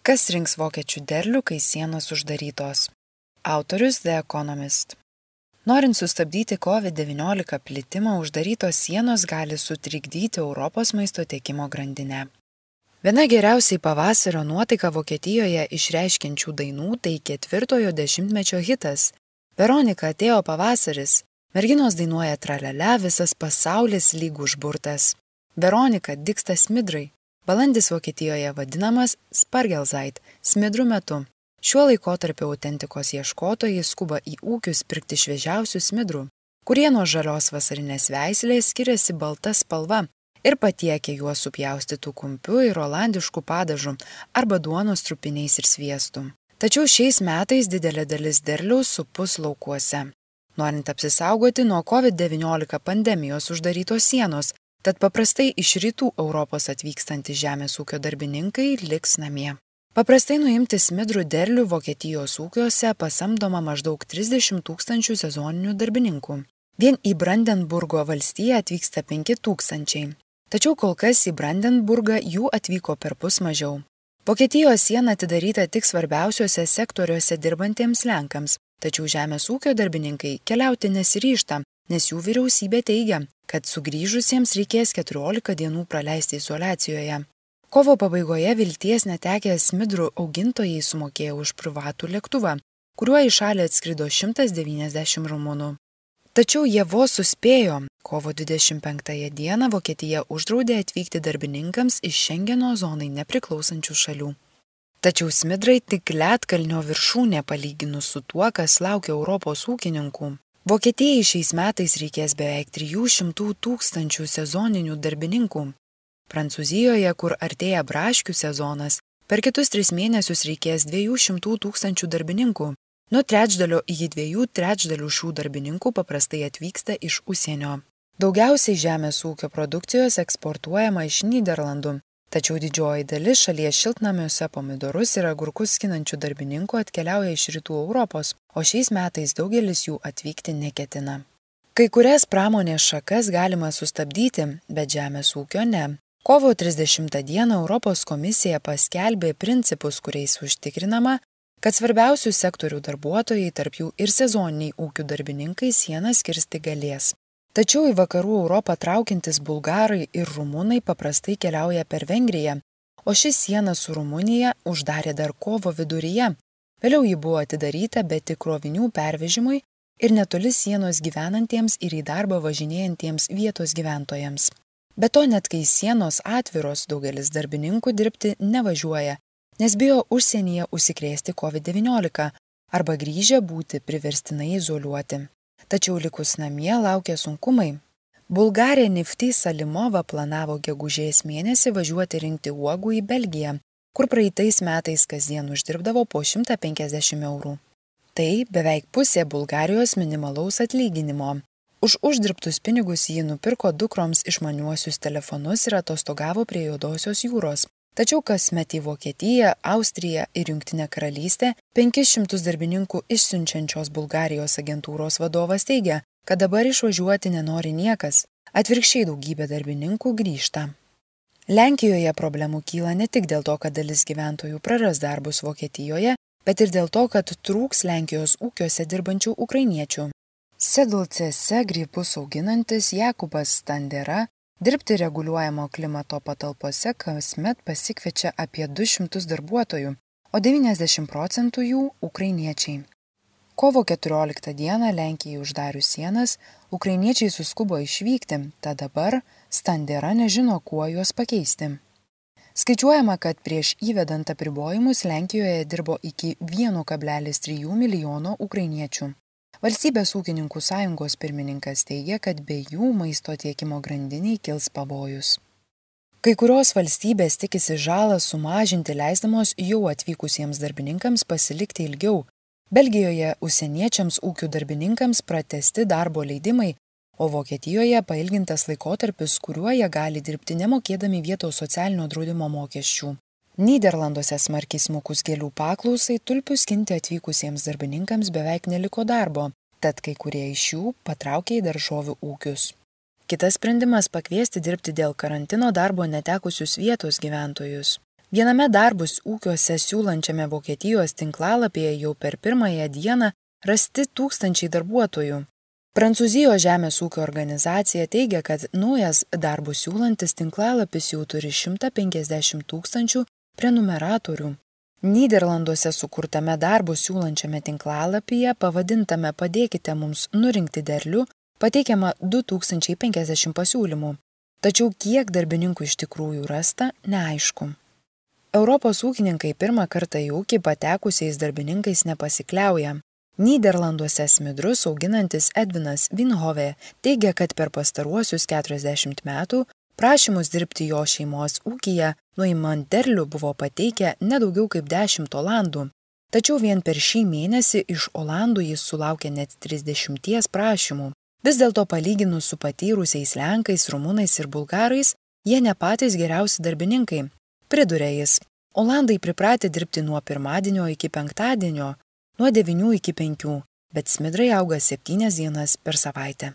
Kas rinks vokiečių derlių, kai sienos uždarytos? Autorius The Economist. Norint sustabdyti COVID-19 plitimą, uždarytos sienos gali sutrikdyti Europos maisto tiekimo grandinę. Viena geriausiai pavasario nuotaiką Vokietijoje išreiškiančių dainų tai 4-ojo dešimtmečio hitas. Veronika, atėjo pavasaris. Merginos dainuoja tralele, visas pasaulis lyg užburtas. Veronika, dygsta smidrai. Balandis Vokietijoje vadinamas Spargelzeit, smidrų metu. Šiuo laikotarpiu autentikos ieškotojai skuba į ūkius pirkti šviežiausių smidrų, kurie nuo žalios vasarinės veislės skiriasi balta spalva ir patiekia juos supjaustytų kumpiu ir olandiškų padažų arba duonos trupiniais ir sviestu. Tačiau šiais metais didelė dalis derliaus supus laukuose. Norint apsisaugoti nuo COVID-19 pandemijos uždarytos sienos, tad paprastai iš rytų Europos atvykstantys žemės ūkio darbininkai liks namie. Paprastai nuimti smidrų derlių Vokietijos ūkiuose pasamdoma maždaug 30 000 sezoninių darbininkų. Vien į Brandenburgo valstiją atvyksta 5 000. Tačiau kol kas į Brandenburgą jų atvyko perpus mažiau. Vokietijos siena atidaryta tik svarbiausiuose sektoriuose dirbantiems lenkams, tačiau žemės ūkio darbininkai keliauti nesiryžta, nes jų vyriausybė teigia, kad sugrįžusiems reikės 14 dienų praleisti izoliacijoje. Kovo pabaigoje vilties netekę smidrų augintojai sumokėjo už privatų lėktuvą, kuriuo į šalį atskrido 190 rumunų. Tačiau jie vos suspėjo. Kovo 25 dieną Vokietija uždraudė atvykti darbininkams iš Šengeno zonai nepriklausančių šalių. Tačiau smidrai tik ledkalnio viršūnė palyginus su tuo, kas laukia Europos ūkininkų. Vokietijai šiais metais reikės beveik 300 000 sezoninių darbininkų. Prancūzijoje, kur artėja braškių sezonas, per kitus 3 mėnesius reikės 200 000 darbininkų. Nuo trečdalio iki 2 trečdalių šių darbininkų paprastai atvyksta iš užsienio. Daugiausiai žemės ūkio produkcijos eksportuojama iš Nyderlandų, tačiau didžioji dalis šalies šiltnamiuose pomidorus ir agurkus skinančių darbininkų atkeliauja iš rytų Europos, o šiais metais daugelis jų atvykti neketina. Kai kurias pramonės šakas galima sustabdyti, bet žemės ūkio ne. Kovo 30 dieną Europos komisija paskelbė principus, kuriais užtikrinama, kad svarbiausių sektorių darbuotojai, tarp jų ir sezoniniai ūkių darbininkai, sienas kirsti galės. Tačiau į vakarų Europą traukiantis bulgarai ir rumunai paprastai keliauja per Vengriją, o ši siena su Rumunija uždarė dar kovo viduryje. Vėliau ji buvo atidaryta, bet tik krovinių pervežimui ir netoli sienos gyvenantiems ir į darbą važinėjantiems vietos gyventojams. Be to, net kai sienos atviros, daugelis darbininkų dirbti nevažiuoja, nes bijo užsienyje užsikrėsti COVID-19 arba grįžę būti priverstinai izoliuoti. Tačiau likus namie laukia sunkumai. Bulgarė Nifty Salimova planavo gegužės mėnesį važiuoti rinkti uogų į Belgiją, kur praeitais metais kasdien uždirbdavo po 150 eurų. Tai beveik pusė Bulgarijos minimalaus atlyginimo. Už uždirbtus pinigus ji nupirko dukroms išmaniuosius telefonus ir atostogavo prie Juodosios jūros. Tačiau kasmet į Vokietiją, Austriją ir Jungtinę karalystę 500 darbininkų išsiunčiančios Bulgarijos agentūros vadovas teigia, kad dabar išvažiuoti nenori niekas, atvirkščiai daugybė darbininkų grįžta. Lenkijoje problemų kyla ne tik dėl to, kad dalis gyventojų praras darbus Vokietijoje, bet ir dėl to, kad trūks Lenkijos ūkiuose dirbančių ukrainiečių. Sedlcėse grybus auginantis Jakubas Standera dirbti reguliuojamo klimato patalpose kasmet pasikviečia apie 200 darbuotojų, o 90% jų ukrainiečiai. Kovo 14 dieną Lenkijai uždarius sienas, ukrainiečiai suskubo išvykti, tad dabar Standera nežino, kuo juos pakeisti. Skaičiuojama, kad prieš įvedant apribojimus Lenkijoje dirbo iki 1,3 milijono ukrainiečių. Valstybės ūkininkų sąjungos pirmininkas teigia, kad be jų maisto tiekimo grandiniai kils pavojus. Kai kurios valstybės tikisi žalą sumažinti leisdamos jau atvykusiems darbininkams pasilikti ilgiau. Belgijoje užsieniečiams ūkių darbininkams pratęsti darbo leidimai, o Vokietijoje pailgintas laikotarpis, kuriuo jie gali dirbti nemokėdami vietos socialinio draudimo mokesčių. Nyderlanduose smarkiai smukus gėlių paklausai tulpių skinti atvykusiems darbininkams beveik neliko darbo, tad kai kurie iš jų patraukė į daržovių ūkius. Kitas sprendimas pakviesti dirbti dėl karantino darbo netekusius vietos gyventojus. Viename darbus ūkiuose siūlančiame Vokietijos tinklalapyje jau per pirmąją dieną rasti tūkstančiai darbuotojų. Prancūzijos žemės ūkio organizacija teigia, kad naujas darbus siūlantis tinklalapis jau turi 150 000 prenumeratorių. Nyderlanduose sukurtame darbus siūlančiame tinklalapyje pavadintame Padėkite mums nurinkti derlių pateikiama 2050 pasiūlymų. Tačiau kiek darbininkų iš tikrųjų rasta, neaišku. Europos ūkininkai pirmą kartą į ūkį patekusiais darbininkais nepasikliauja. Nyderlanduose smidrus auginantis Edvinas Vinhove teigia, kad per pastaruosius 40 metų prašymus dirbti jo šeimos ūkyje nuimant derlių buvo pateikę nedaugiau kaip 10 olandų. Tačiau vien per šį mėnesį iš olandų jis sulaukė net 30 prašymų. Vis dėlto palyginus su patyrusiais lenkais, rumunais ir bulgarais, jie ne patys geriausi darbininkai. Priduria jis, olandai pripratę dirbti nuo pirmadienio iki penktadienio, nuo 9 iki 5, bet smidrai auga 7 dienas per savaitę.